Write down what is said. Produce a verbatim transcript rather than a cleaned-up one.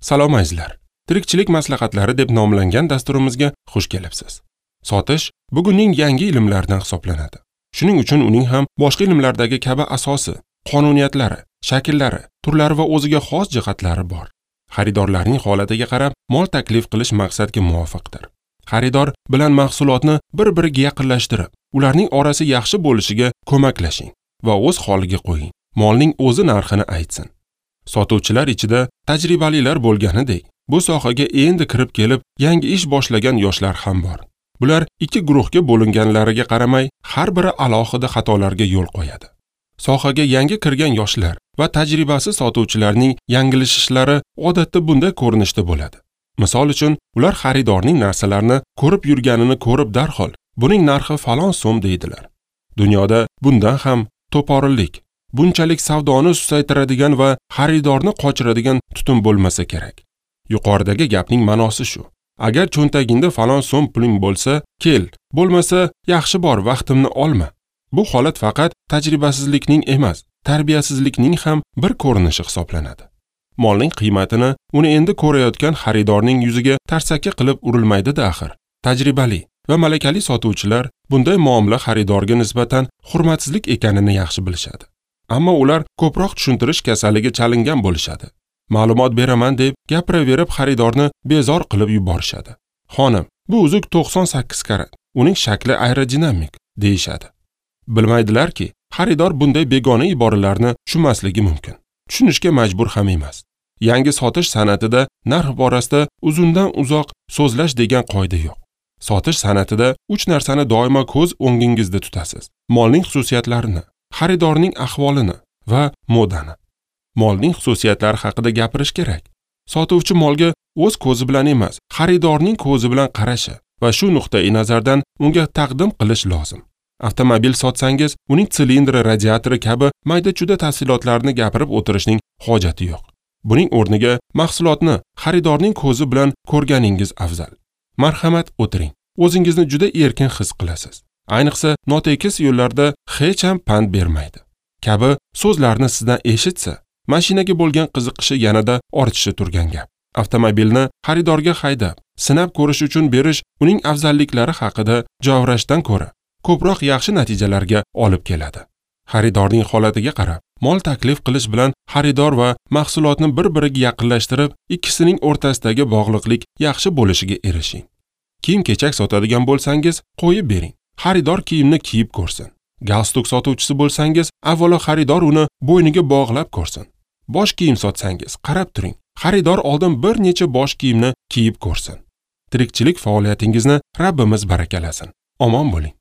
Salom azizlar. Tirikchilik maslahatlari deb nomlangan dasturimizga xush kelibsiz. Sotish bugunning yangi ilmlaridan hisoblanadi. Shuning uchun uning ham boshqa ilmlardagi kabi asosi, qonuniyatlari, shakllari, turlari va o'ziga xos jihatlari bor. Xaridorlarning holatiga qarab mol taklif qilish maqsadga muvofiqdir. Xaridor bilan mahsulotni bir-biriga yaqinlashtirib, ularning orasi yaxshi bo'lishiga ko'maklashing va o'z holiga qo'ying. Molning o'zi narxini aytsin. Sotuvchilar ichida tajribalilar bo'lganidek, bu sohaga endi kirib kelib, yangi ish boshlagan yoshlar ham bor. Bular ikki guruhga bo'linganlariga qaramay, har biri alohida xatolarga yo'l qo'yadi. Sohaga yangi kirgan yoshlar va tajribasiz sotuvchilarning yangilishishlari odatda bunday ko'rinishda bo'ladi. Misol uchun, ular xaridorning narsalarni ko'rib yurganini ko'rib darhol, buning narxi falon so'm deydilar. Dunyoda bundan ham to'porillik, bunchalik savdoni susaytiradigan va xaridorni qochiradigan tutum bo'lmasa kerak. Yuqoridagi gapning ma'nosi shu. Agar cho'ntagingda falon so'm puling bo'lsa, kel, bo'lmasa yaxshi bor, vaqtimni olma. Bu holat faqat tajribasizlikning emas, tarbiyasizlikning ham bir ko'rinishi hisoblanadi. Molning qiymatini uni endi ko'rayotgan xaridorning yuziga tarsaki qilib urilmaydi-da axir. Tajribali va malakali sotuvchilar bunday muomala xaridorga nisbatan hurmatsizlik ekanini yaxshi bilishadi. Ammo ular ko'proq tushuntirish kasaliga chalingan bo'lishadi. Ma'lumot beraman deb gapiraverib xaridorni bezor qilib yuborishadi. Xonim, bu uzuk to'qson sakkiz karat, uning shakli aerodinamik deyishadi. Bilmaydilarki, xaridor bunday begona iboralarni tushunmasligi mumkin. Tushunishga majbur ham emas. Yangi sotish san'atida narx borasida uzundan uzoq so'zlash degan qoida yo'q. Sotish san'atida uch narsani doimo ko'z o'ngingizda tutasiz: molning xususiyatlarini, xaridorning ahvolini va modani. Molning xususiyatlari haqida gapirish kerak. Sotuvchi molga o'z ko'zi bilan emas, xaridorning ko'zi bilan qarashi va shu nuqtai nazardan unga taqdim qilish lozim. Avtomobil sotsangiz, uning silindri, radiatori kabi mayda-chuyda tafsilotlarni gapirib o'tirishning hojati yo'q. Buning o'rniga mahsulotni xaridorning ko'zi bilan ko'rganingiz afzal. Marhamat, o'tiring. O'zingizni juda erkin his qilasiz. Ayniqsa, notekis yo'llarda hech ham pand bermaydi kabi so'zlarni sizdan eshitsa, mashinaga bo'lgan qiziqishi yanada ortishi turgan gap. Avtomobilni xaridorga haydab, sinab ko'rish uchun berish uning afzalliklari haqida javrashdan ko'ra ko'proq yaxshi natijalarga olib keladi. Xaridorning holatiga qarab mol taklif qilish bilan xaridor va mahsulotni bir-biriga yaqinlashtirib, ikkisining o'rtasidagi bog'liqlik yaxshi bo'lishiga erishing. Kiyim-kechak sotadigan bo'lsangiz, qo'yib bering. Xaridor kiyimni kiyib ko'rsin. Galstuk sotuvchisi bo'lsangiz, avvalo xaridor uni bo'yniga bog'lab ko'rsin. Bosh kiyim sotsangiz, qarab turing. Xaridor oldin bir necha bosh kiyimni kiyib ko'rsin. Tirikchilik faoliyatingizni Rabbimiz barakalasin. Omon bo'ling.